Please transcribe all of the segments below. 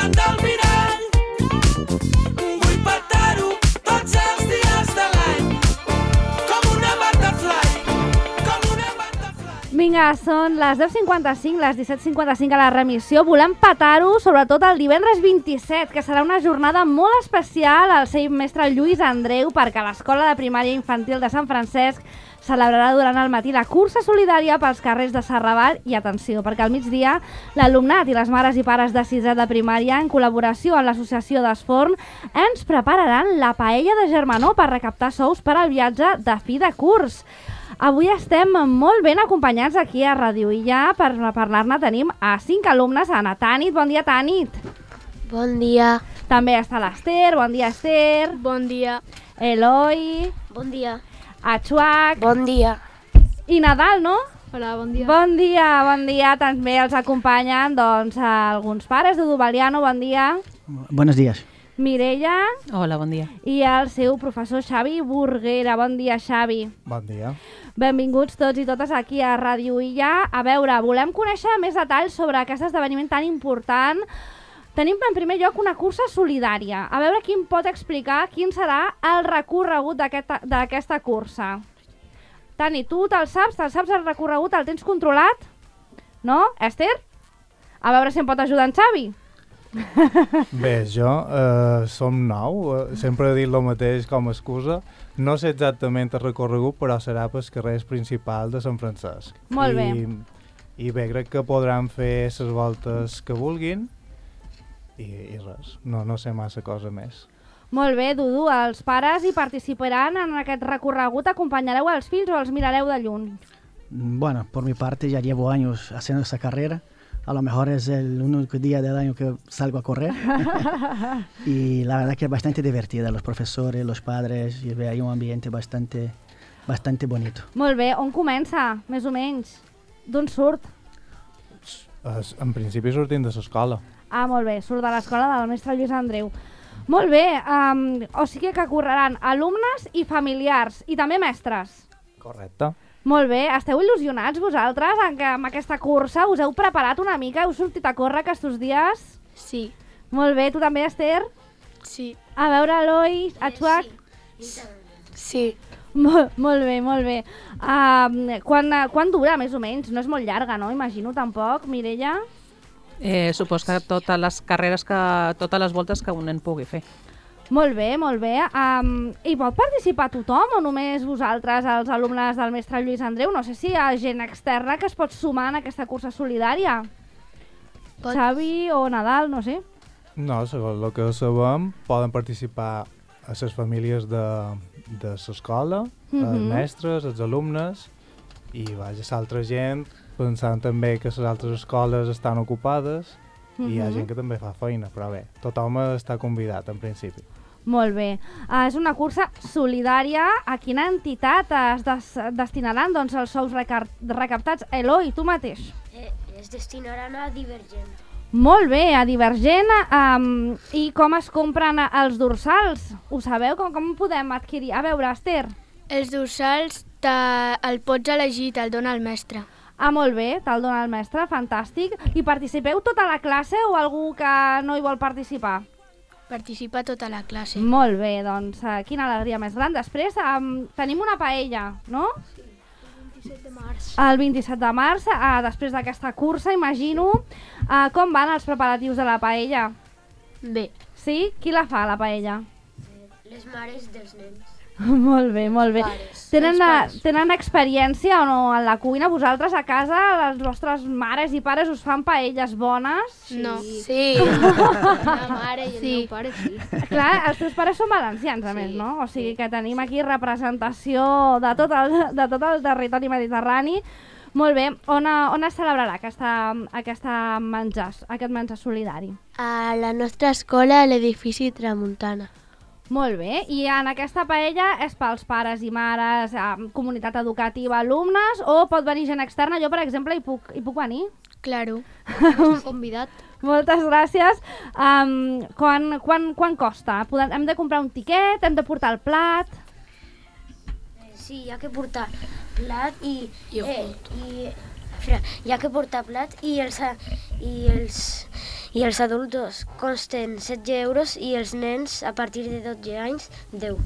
davant del mirall. Vull petar-ho tots els dies de l'any, com una butterfly, com una butterfly. Vinga, són les 10:55, les 17:55 a la remissió. Volem petar-ho, sobretot el divendres 27, que serà una jornada molt especial al seu mestre Lluís Andreu, perquè l'Escola de Primària Infantil de Sant Francesc celebrarà durant el matí la cursa solidària pels carrers de Serravalle i, atenció, perquè al migdia l'alumnat i les mares i pares de sisè de primària, en col·laboració amb l'associació d'Esforn, ens prepararan la paella de germanor per recaptar sous per al viatge de fi de curs. Avui estem molt ben acompanyats aquí a Ràdio Illa. Per parlar-ne tenim a 5 alumnes. Ana Tànit, bon dia, Tànit. Bon dia. També està l'Ester, bon dia, Ester. Bon dia. Eloi. Bon dia. Atxuac. Bon dia. I Nadal, no? Hola, bon dia. Bon dia, bon dia. També els acompanyen doncs, alguns pares. Dudu Baliano, bon dia. Buenos días. Mireia. Hola, bon dia. I el seu professor Xavi Burguera. Bon dia, Xavi. Bon dia. Benvinguts tots i totes aquí a Ràdio Illa. A veure, volem conèixer més detalls sobre aquest esdeveniment tan important. Tenim en primer lloc una cursa solidària. A veure qui em pot explicar quin serà el recorregut d'aquesta cursa. Tani, tu te'l saps el recorregut, el tens controlat? No, Esther? A veure si em pot ajudar en Xavi. Bé, jo som nou, sempre he dit el mateix com a excusa. No sé exactament el recorregut, però serà pel carrer principal de Sant Francesc. Molt bé. I bé, crec que podran fer les voltes que vulguin i res, no sé massa cosa més. Molt bé, Dudu, els pares hi participaran en aquest recorregut, acompanyareu els fills o els mirareu de lluny? Bueno, por mi parte ya llevo años haciendo esa carrera. A lo mejor es el único día del año que salgo a correr. Y la verdad que es bastante divertida. Los profesores, los padres, y hay un ambiente bastante bonito. Molt bé, on comença, més o menys? D'on surt? En principi sortim de l'escola. Ah, molt bé, surt de l'escola del mestre Lluís Andreu. Molt bé, o sigui que correran alumnes i familiars, i també mestres. Correcte. Molt bé, esteu il·lusionats vosaltres amb aquesta cursa? Us heu preparat una mica? Heu sortit a córrer aquests dies? Sí. Molt bé, tu també, Esther? Sí. A veure, Eloi, Atxuac? Sí. Molt bé, molt bé. Quan dura, més o menys? No és molt llarga, no? Imagino, tampoc. Mireia? Supos que totes les carreres, totes les voltes que un nen pugui fer. Molt bé, molt bé. Hi pot participar tothom o només vosaltres, els alumnes del mestre Lluís Andreu? No sé si hi ha gent externa que es pot sumar en aquesta cursa solidària. Xavi o Nadal, no sé. No, segons el que sabem, poden participar a les famílies de l'escola, els mestres, els alumnes, i l'altra gent, pensant també que les altres escoles estan ocupades, i hi ha gent que també fa feina, però bé, tothom està convidat en principi. Molt bé. És una cursa solidària. A quina entitat es destinaran els sous recaptats? Eloi, tu mateix. Es destinaran a Divergent. Molt bé, a Divergent. I com es compren els dorsals? Ho sabeu? Com podem adquirir? A veure, Esther. Els dorsals el pots elegir, te'l dona el mestre. Ah, molt bé, te'l dona el mestre, fantàstic. I participeu tota la classe o algú que no hi vol participar? Participa tota la classe. Molt bé, doncs quina alegria més gran. Després tenim una paella, no? Sí, el 27 de març. El 27 de març, després d'aquesta cursa, imagino. Com van els preparatius de la paella? Bé. Sí? Qui la fa, la paella? Les mares dels nens. Molt bé, molt bé. Pares. Tenen experiència o no en la cuina? Vosaltres a casa, les vostres mares i pares us fan paelles bones? No. Sí. La mare i el meu pare sí. Clar, els teus pares són valencians, a més, no? O sigui que tenim aquí representació de tot el territori mediterrani. Molt bé. On es celebrarà aquest menjar solidari? A la nostra escola, a l'edifici Tramuntana. Molt bé, i en aquesta paella és pels pares i mares, comunitat educativa, alumnes, o pot venir gent externa? Jo, per exemple, hi puc venir? Claro, estàs convidat. Moltes gràcies. Quan costa? Hem de comprar un tiquet? Hem de portar el plat? Sí, hi ha que portar plat i i els adults costen 16 euros i els nens a partir de 12 anys 10.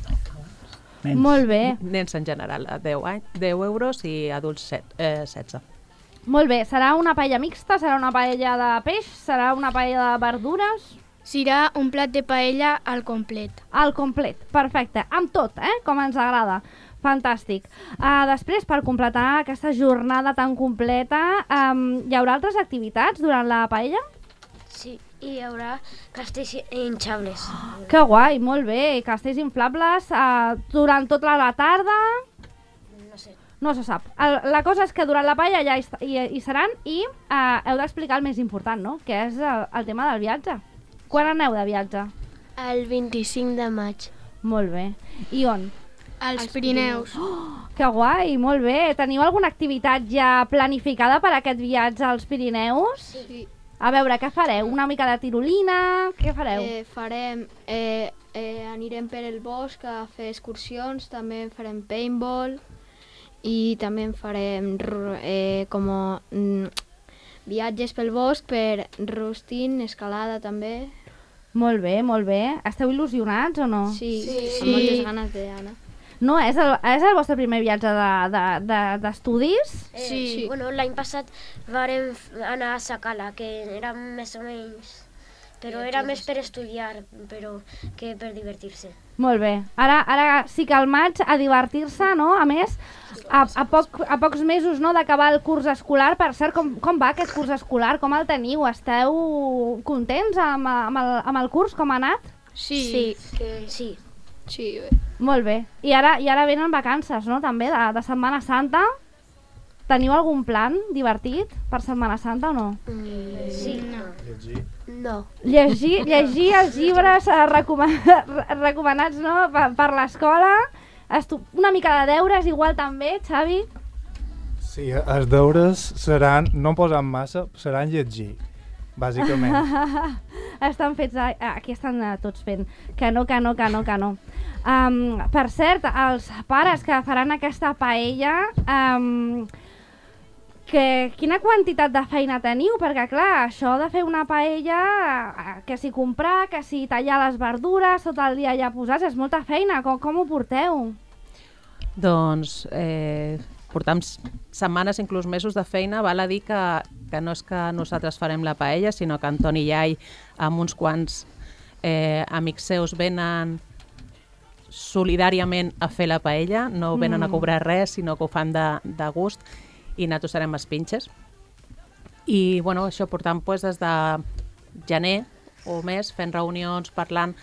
Nens. Molt bé, Nens en general, a 10 euros i adults 16. molt bé. Serà una paella mixta? Serà una paella de peix? Serà una paella de verdures? Serà un plat de paella al complet. Al complet, perfecte. Amb tot, com ens agrada. Fantàstic. Després, per completar aquesta jornada tan completa, hi haurà altres activitats durant la paella? Sí, i hi haurà castells hinchables. Que guai, molt bé. Castells inflables durant tota la tarda? No sé. No se sap. La cosa és que durant la paella ja hi seran i heu d'explicar el més important, no? Que és el tema del viatge. Quan aneu de viatge? El 25 de maig. Molt bé. I on? Als Pirineus. Que guai, molt bé. Teniu alguna activitat ja planificada per aquest viatge als Pirineus? Sí. A veure, què fareu? Una mica de tirolina? Què fareu? Anirem per el bosc a fer excursions, també farem paintball i també farem viatges pel bosc, per rústing, escalada també. Molt bé, molt bé. Esteu il·lusionats o no? Sí. Amb moltes ganes d'anar. No, és el vostre primer viatge d'estudis? Sí. Bueno, l'any passat vam anar a Sakala, que era més o menys... Però era més per estudiar que per divertir-se. Molt bé. Ara sí que al maig a divertir-se, no? A més, a pocs mesos, no, d'acabar el curs escolar. Per cert, com va aquest curs escolar? Com el teniu? Esteu contents amb el curs? Com ha anat? Sí. Sí. Molt bé. I ara venen vacances, no? També de Setmana Santa. Teniu algun plan divertit per Setmana Santa o no? Sí. No. Llegir els llibres recomanats, no? per l'escola. Una mica de deures igual també, Xavi? Sí, els deures seran, no posant massa, seran llegir, bàsicament. Estan fets, aquí estan tots fent, que no. Per cert, els pares que faran aquesta paella, quina quantitat de feina teniu? Perquè clar, això de fer una paella, que si comprar, que si tallar les verdures, tot el dia ja posats, és molta feina. Com ho porteu? Doncs portam setmanes, inclús mesos de feina. Val a dir que no és que nosaltres farem la paella, sinó que Antoni Iai, amb uns quants amics seus, venen solidàriament a fer la paella, no venen a cobrar res, sinó que ho fan de gust, i nosaltres serem els pinxes. I bueno, això portam des de gener o més, fent reunions, parlant,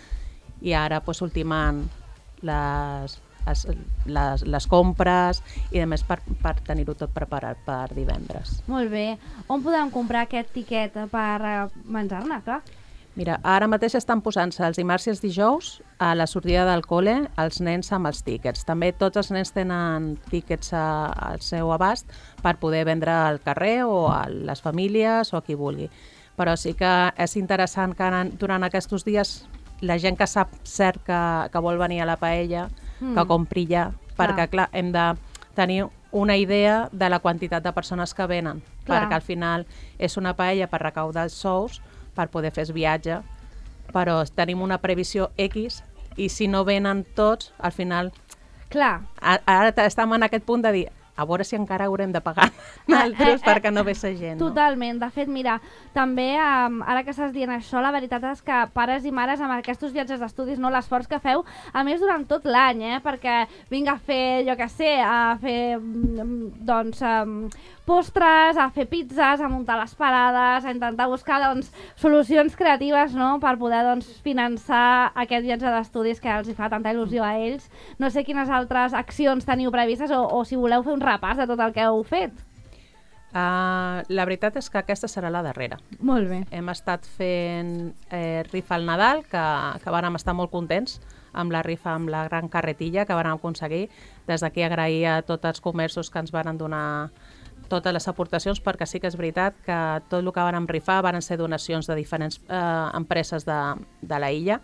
i ara ultimant les compres i a més per tenir-ho tot preparat per divendres. Molt bé. On podem comprar aquest tiquet per menjar-ne, clar? Mira, ara mateix estan posant-se els dimarts i els dijous a la sortida del col·le els nens amb els tíquets. També tots els nens tenen tíquets al seu abast per poder vendre al carrer o a les famílies o a qui vulgui. Però sí que és interessant que durant aquests dies la gent que sap cert que vol venir a la paella, que compri ja, perquè clar, hem de tenir una idea de la quantitat de persones que venen, perquè al final és una paella per recaudar els sous, per poder fer el viatge, però tenim una previsió X i si no venen tots, al final... Clar. Ara estem en aquest punt de dir, a veure si encara haurem de pagar altres perquè no ve la gent. Totalment. De fet, mira, també ara que estàs dient això, la veritat és que pares i mares amb aquests viatges d'estudis, no, l'esforç que feu, a més durant tot l'any, perquè vinc a fer, jo què sé, a fer postres, a fer pizzas, a muntar les parades, a intentar buscar solucions creatives, no?, per poder finançar aquest viatge d'estudis que els hi fa tanta il·lusió a ells. No sé quines altres accions teniu previstes o si voleu fer un repàs de tot el que heu fet. La veritat és que aquesta serà la darrera. Molt bé. Hem estat fent rifa al Nadal, que vàrem estar molt contents amb la rifa, amb la gran carretilla que vàrem aconseguir. Des d'aquí agrair a tots els comerços que ens van donar totes les aportacions, perquè sí que és veritat que tot el que vàrem rifar van ser donacions de diferents empreses de la illa,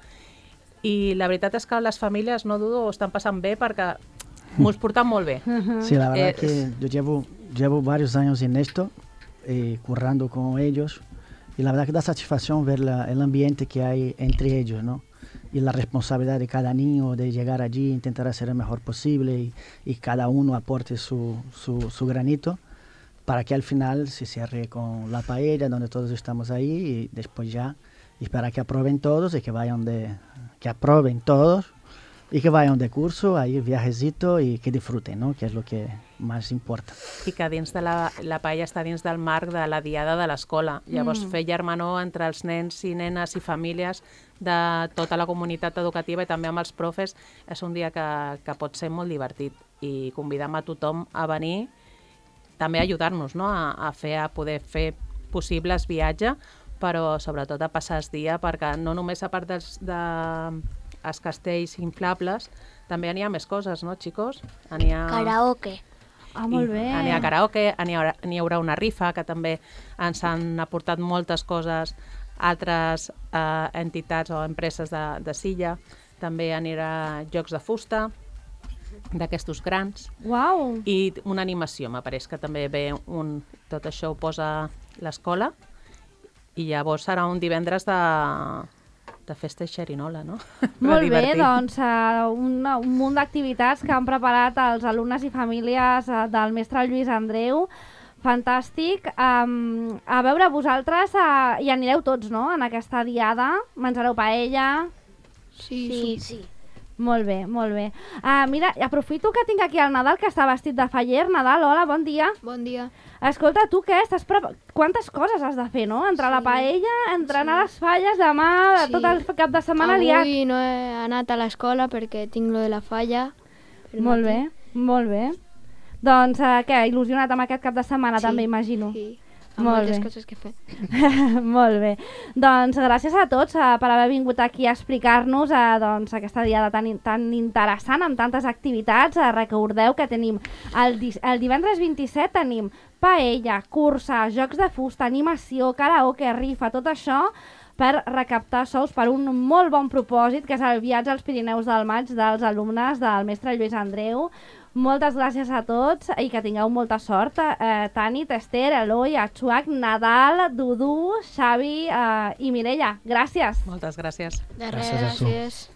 i la veritat és que les famílies, no dudo, ho estan passant bé perquè m'ho portan molt bé. Sí, la verdad que yo llevo varios años en esto, currando con ellos, Y la verdad que da satisfacción ver el ambiente que hay entre ellos, ¿no? Y la responsabilidad de cada niño de llegar allí, intentar hacer el mejor posible y cada uno aporte su granito para que al final se cierre con la paella, donde todos estamos ahí y después ya esperar que aprueben todos y que aprueben todos y que vayan de curso, ahí viajecito y que disfruten, ¿no? Que es lo que más importa. I que dins de la paella està dins del marc de la diada de l'escola. Llavors, fer germanor entre els nens i nenes i famílies de tota la comunitat educativa i també amb els profes és un dia que pot ser molt divertit i convidem a tothom a venir, també a ajudar-nos, no? a poder fer possibles viatge, però sobretot a passar el dia, perquè no només a part dels castells inflables, també n'hi ha més coses, no, xicos? Karaoke. Ah, molt bé. N'hi ha karaoke, n'hi haurà una rifa, que també ens han aportat moltes coses altres entitats o empreses de Silla. També anirà jocs de fusta, d'aquestos grans. Uau! I una animació, m'apareix que també ve tot això ho posa l'escola, i llavors serà un divendres de festa i xerinola, no? Molt bé, doncs un munt d'activitats que han preparat els alumnes i famílies del mestre Lluís Andreu. Fantàstic. A veure, vosaltres hi anireu tots, no?, en aquesta diada. Menjareu paella. Sí. Molt bé, molt bé. Mira, aprofito que tinc aquí el Nadal, que està vestit de faller. Nadal, hola, bon dia. Bon dia. Escolta, tu què? Quantes coses has de fer, no? Entre la paella, anar a les falles, demà, tot el cap de setmana liat. Avui no he anat a l'escola perquè tinc lo de la falla. Molt bé, molt bé. Doncs què, il·lusionat amb aquest cap de setmana també, imagino. Sí, amb moltes coses que fer. Molt bé. Doncs gràcies a tots per haver vingut aquí a explicar-nos aquesta diada tan interessant, amb tantes activitats. Recordeu que tenim el divendres 27 tenim paella, cursa, jocs de fusta, animació, karaoke, rifa, tot això per recaptar sous per un molt bon propòsit, que és el viatge als Pirineus del Maig dels alumnes del mestre Lluís Andreu. Moltes gràcies a tots i que tingueu molta sort. Tanit, Esther, Eloi, Atxuac, Nadal, Dudu, Xavi i Mireia. Gràcies. Moltes gràcies. De Gràcies a tu. Gràcies.